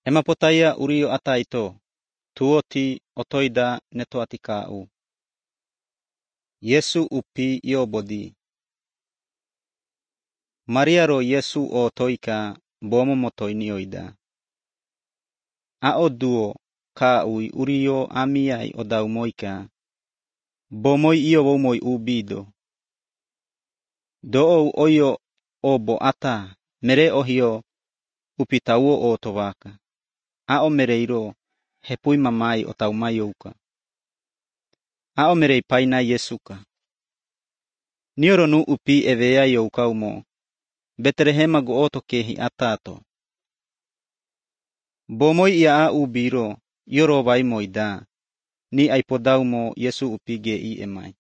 Emapotaya urio ataito, tuoti otoida neto atikau. Yesu upi yobodi. Maria ro Yesu o toika bomo motoinioida. Ao duo kaui urio amiai odau moika. Bomoi iyo womoi ubido. Doo oyo obo ata mere ohio upitauo o tovaka. Ao mereiro hepui mamai otau mayouka. Ao merei paina Yesuka. Nioro nu upi evea youkaumo. Betlehema go oto kehi atato. Bomoi ia a ubiro yoro vai moida. Ni aipodaumo Yesu upige i emai.